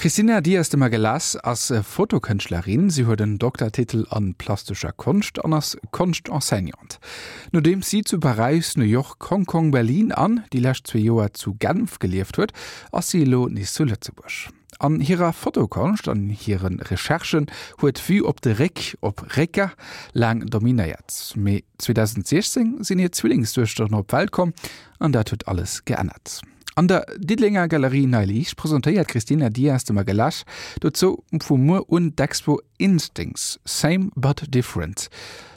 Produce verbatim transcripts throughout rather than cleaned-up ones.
D'Cristina Dias de Magalhães ass Fotokënschtlerin, si huet en Doktertitel an plastescher Konscht an ass Konschtenseignante. Nodeems si zu Paräis, New York, Hong Kong, Berlin an déi lescht zwee Joer zu Genf gelieft huet, ass si elo nees zu Lëtzebuerg. An hirer Fotokonscht an hire Recherchen huet d'Vue op de Réck, op Récker, laang dominéiert. Mee zweedausendsechzéng sinn hir Zwillingsduechteren op d'Welt komm an dat huet alles geännert. An der Diddelenger Galerie Nei Liicht presentéiert d'Cristina Dias de Magalhães dozou vu muer un d'Expo Instincts, Same but Different.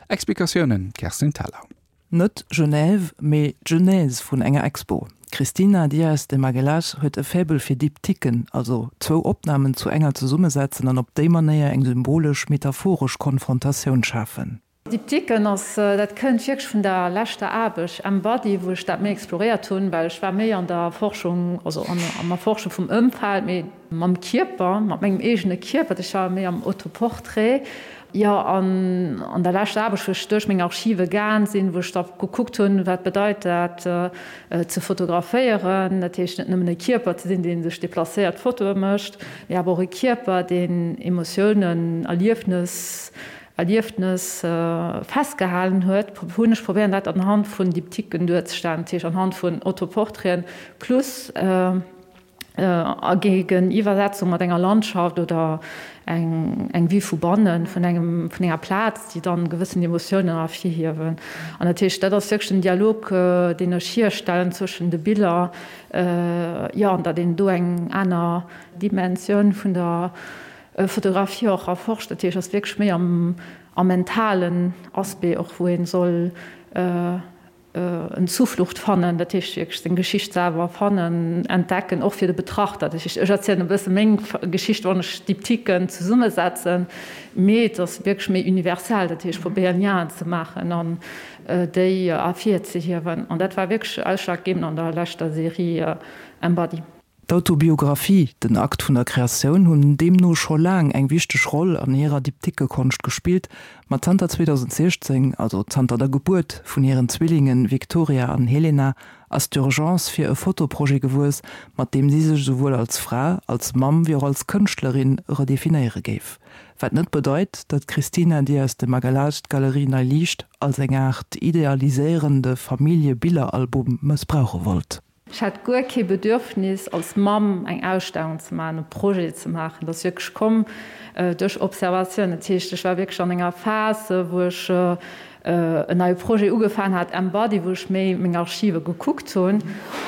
Explikatiounen, Kerstin Thalau. Net Genève, mee d'Genèse vun enger Expo. D'Cristina Dias de Magalhães huet e Faible fir Diptyquen, also zwou Opnamen zu enger zesummesetzen an op déi Manéier eng symbolesch, metaphoresch Konfrontatioun schafen. Diptyquen ass, dat kënnt wierklech vun der leschter Aarbecht Embody, wou ech dat méi exploréiert hunn, well ech war méi an der Forschung, also an am Erforsche vum Ëmfeld, mee mam Kierper, mat mengem eegene Kierper, ech war méi am Autoportrait. Jo, an an der leschter Aarbecht, wou ech duerch meng Archive gaang sinn, wou ech da gekuckt hunn, wat bedeit dat ze fotograféieren, dat heescht net nëmmen e Kierper ze sinn, dee sech deplacéiert, Fotoe mécht, mee awer och e Kierper, deen Emotiounen, Erliefnes, Erliefnes festgehalen huet, hunn ech probéieren dat anhand vun Diptyquen duerzestellen, dat heescht anhand vun Autoportraiten plus a Géigeniwwersetzung mat enger Landschaft oder eng eng Vue vu bannen, vun engem vun enger Plaz, déi dann gewëssen Emotiounen ervirhiewen. An dat heescht, dat ass wierklech den Dialog, deen ech hierstellen zwëschen de Biller, jo, an datt een do eng aner Dimensioun vun der Fotografie och erforscht. Dat heescht, ass wierklech méi am am mentalen Aspect och, wou een soll en Zuflucht fannen, dat heescht wierklech seng Geschicht selwer fannen, entdecken, och fir de Betrachter. Dat heescht, ech erzielen e bësse meng Geschicht, wann ech Diptyquen zesummesetzen, mee et ass wierklech méi universell, dat heescht, probéieren Lienen ze maachen an déi ervirzehiewen. An dat war wierklech ausschlaggebend an der leschter Serie Embody. D'Autobiographie, den Akt vun der Kreatioun hunn deemno scho laang eng wichteg Roll an hirer Diptyquekonscht gespillt, ma zanter zweedausendsechzéng, also zanter der Gebuert vun hiren Zwillinge Victoria an Helena, ass d'Urgence fir e Fotoprojet gewuess, mat deem si sech esouwuel als Fra, als Mamm wéi och als Kënschtlerin redefinéiere géif. Wat net bedeit, datt d'Cristina Dias de Magalhães d'Galerie Nei Liicht als eng Aart idealiséierende Familljebilleralbum mëssbrauche wollt. Ech hat guer kee Bedürfnis, als Mamm eng Ausstellung ze maachen, e Projet ze maachen. Dat ass wierklech komm duerch Observatioun. Dat heescht, ech war wierklech an enger Phas, wou ech en neie Projet ugefaangen hat, Embody, wou ech méi meng Archive gekuckt hunn,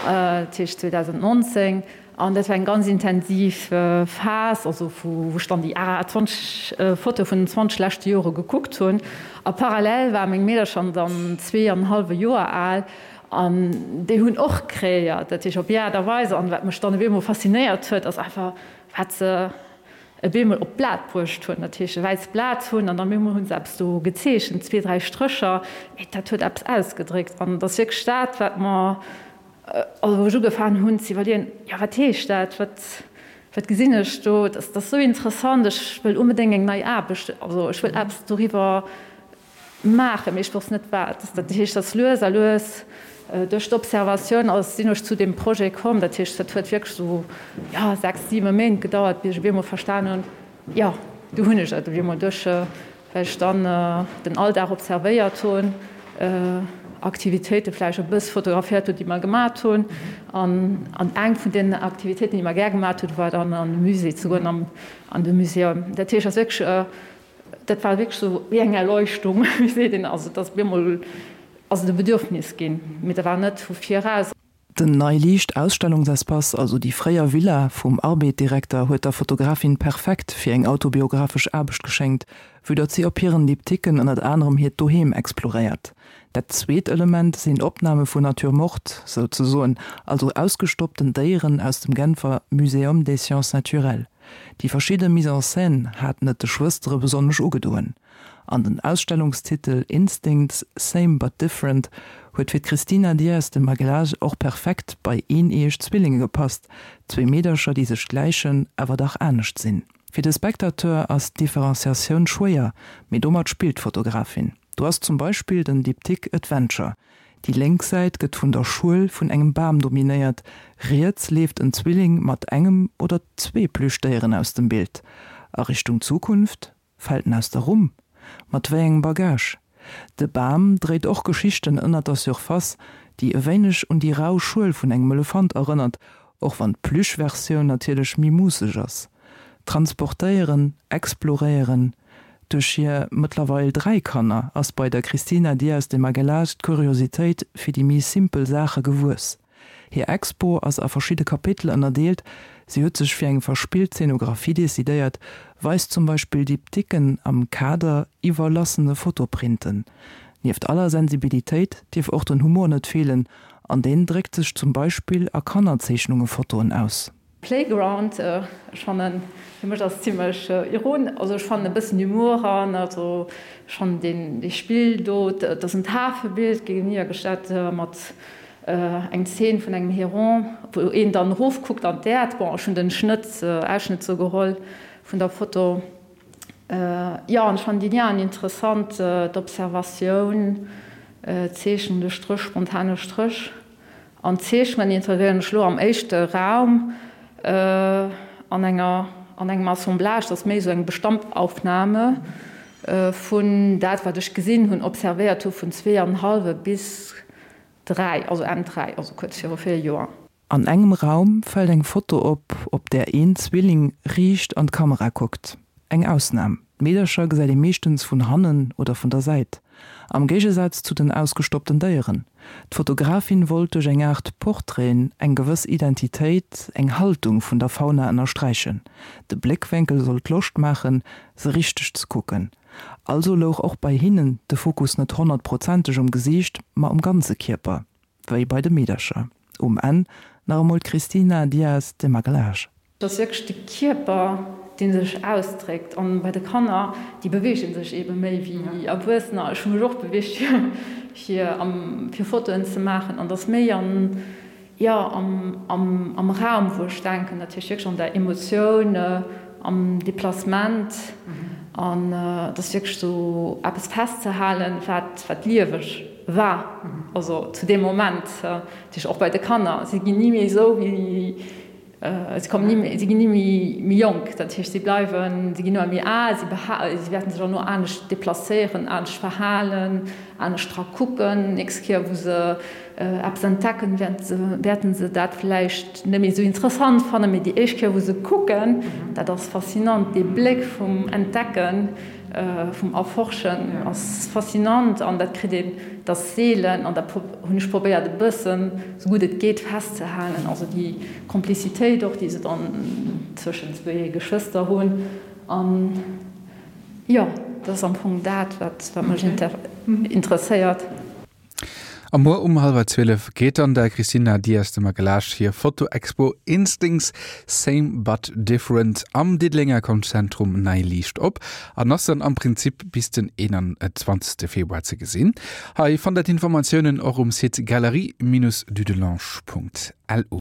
dat heescht zweedausendnonzéng. An dat war eng ganz intensiv Phas, also wou ech dann déi zwanzeg Fotoe vun den zwanzeg leschte Jore gekuckt hunn. A parallel ware meng Meedercher dann zwee an e hallwe Joer al. An déi hunn och kreéiert, dat heescht op hir Aart a Weis. An wat mech dann op eemol faszinéiert huet, ass einfach, wat se op eemol op d'Blat bruecht hunn. Dat heescht e wäisst Blat hunn an dann op eemol hu se eppes do gezeechent, zwee, dräi Strécher, mee dat huet eppes ausgedréckt. An et ass wierklech dat, wat mer, also wou ech ugefaangen hunn ze iwwerleeën, jo wat heescht dat, wat, wat gesinn ech do, dat ass esou interessant, ech wëll onbedéngt eng nei Aarbecht, also ech wëll eppes doriwwer maachen, mee ech wosst net wat. Dat heescht, dass lues a lues duerch d'Observatioun ass sinn ech zu deem Projet komm. Dat heescht, dat huet wierklech esou, jo, sechs, siwe Méint gedauert, bis ech op eemol verstan hunn, jo, do hunn ech et op eemol duerch, well ech dann den Alldag observéiert hunn, Aktivitéite vläicht e bëss fotograféiert hunn, déi mer gemat hunn. An an eng vun den Aktivitéiten, déi mer gär gemat hunn, war dann an de Musée ze goen, an de Museum. Dat heescht, ass wierklech Dat war wierklech esou wéi eng Erleuchtung, wéi seet een, also et ass op eemol ass et e Bedürfnis ginn, mee dat war net vu viraus. Den Nei Liicht Ausstellungsespace, also déi fréier Villa vum Arbed-Direkter, huet der Fotografin perfekt fir eng autobiographesch Aarbecht geschéngt, vue datt si op hiren Diptyquen ënnert anerem hiert Doheem exploréiert. Dat zweet Element sinn Opname vun Nature morte, souzesoen, also ausgestoppten Déieren aus dem Genfer Muséum des sciences naturelles. Déi verschidde Mise en scène haten et de Schwëstere besonnesch ugedoen. An den Ausstellungstitel Instincts, Same but Different huet fir d'Cristina Dias de Magalhaes och perfekt bei eeneeëg Zwillinge gepasst, zwee Meedercher, déi sech gläichen, awer dach anescht sinn. Fir de Spectateur ass d'Differenciatioun schwéier, mee domat spillt d'Fotografin. Do ass zum Beispill den Diptyque Adventure. Déi lénk Säit gëtt vun der Schuel vun engem Bam dominéiert, riets leeft en Zwilling mat engem oder zwee Plüschdéieren aus dem Bild. A Richtung Zukunft? Fält en aus der Rumm? Mat wéi engem Bagage? De Bam dréit och Geschichten ënnert der Surface, déi e wéineg un déi rau Schuel vun engem Elefant erënnert, och wann d'Plüschversioun natierlech méi muusseg ass. Transportéieren, exploréieren, duerch hir mëttlerweil dräi Kanner ass bei der Cristina Dias de Magalhães d'Kuriositéit fir déi méi simpel Saache gewuess. Hir Expo ass a verschidde Kapitel ënnerdeelt, si huet sech fir eng verspillt Zeenografie decidéiert, weist zum Beispill Diptyquen am Kader iwwerlassene Fotoprinten. Nieft aller Sensibilitéit dierf och den Humor net feelen, an deen dréckt sech zum Beispill a Kannerzeechnunge-Fotoen aus. Playground, ech fannen, fir mech ass et zimlech iron, also ech fannen e bëssen Humour eran, also schonn deen dee Spill do, et ass en Tafelbild géigeniwwergestallt mat eng Zeen vun engem Heron, wou een dann erofkuckt an d'Äerd. Bon, ech hunn den Schnëtt, Ausschnëtt sou geholl vun der Foto. Jo, an ech fannen déi Liaen interessant, d'Observatioun, d'Zeechnung, de Stréch, spontane Stréch an d'Zeechnungen integréieren ech elo am éischte Raum an enger, an engem Assemblage, dat ass méi esou eng Bestandaufnahme vun dat, wat ech gesinn hunn, observéiert hu vun zwee an hallwe bis dräi, also Enn dräi, also kuerz viru véier Joer. An engem Raum fält eng Foto op, op där een Zwilling riicht an d'Kamera kuckt. Eng Ausnam, d'Meedercher gesäit ee meeschtens vun hannen oder vun der Säit. Am Géigesaz zu den ausgestoppten Déieren. D'Fotografin wollt duerch eng Aart Portraiten eng gewëss Identitéit, eng Haltung vun der Fauna ënnersträichen. De Bléckwénkel sollt Loscht maachen, se richteg ze kucken. Also louch och bei hinnen de Fokus net honnertprozenteg um Gesiicht, ma um ganze Kierper, wéi bei de Meedercher. Um Enn nach emol d'Cristina Dias de Magalhães. Et ass wierklech de Kierper, dee sech ausdréckt. An bei de Kanner, déi beweege sech eebe méi wéi Erwuessener. Ech hu mech och beweegt, fir fir Fotoen ze maachen. An et ass méi an, jo, am am Raum, wou ech denken, dat heescht wierklech an der Emotioun, am Deplacement. An et ass wierklech esou eppes festzehalen, wat wat lieweg war, also zu deem Moment. Dat heescht och bei de Kanner, si ginn ni méi esou wéi, si kommen ni méi, si ginn ni méi méi jonk. Dat heescht, si bleiwen, si ginn ëmmer méi al, si beha si wäerten sech och no anescht deplacéieren, anescht verhalen, anescht dra kucken. Nächst Kéier wou se eppes entdecken, wäerten se dat vläicht net méi esou interessant fannen, mee déi éischt Kéier wou se kucken, dat ass faszinant, dee Bléck vum Entdecken, vum Erforschen ass faszinant an dat kritt een, dat ass seelen an dat hunn ech probéiert e bëssen, esou gutt et geet, festzehalen, also déi Komplizitéit och, déi se dann zwëschen zwee Geschwëster hunn an jo, dat ass am Fong dat, wat mech interesséiert. A muer um hallwer zwielef geet dann der Cristina Dias de Magalhães hir Fotoexpo Instincts, Same but Different am Diddelenger Konschtzentrum Nei Liicht op an ass dann am Prinzip bis den eenanzwanzegste Februar ze gesinn. Hei fannt der d'Informatiounen och um Site galerie-dudelange.lu.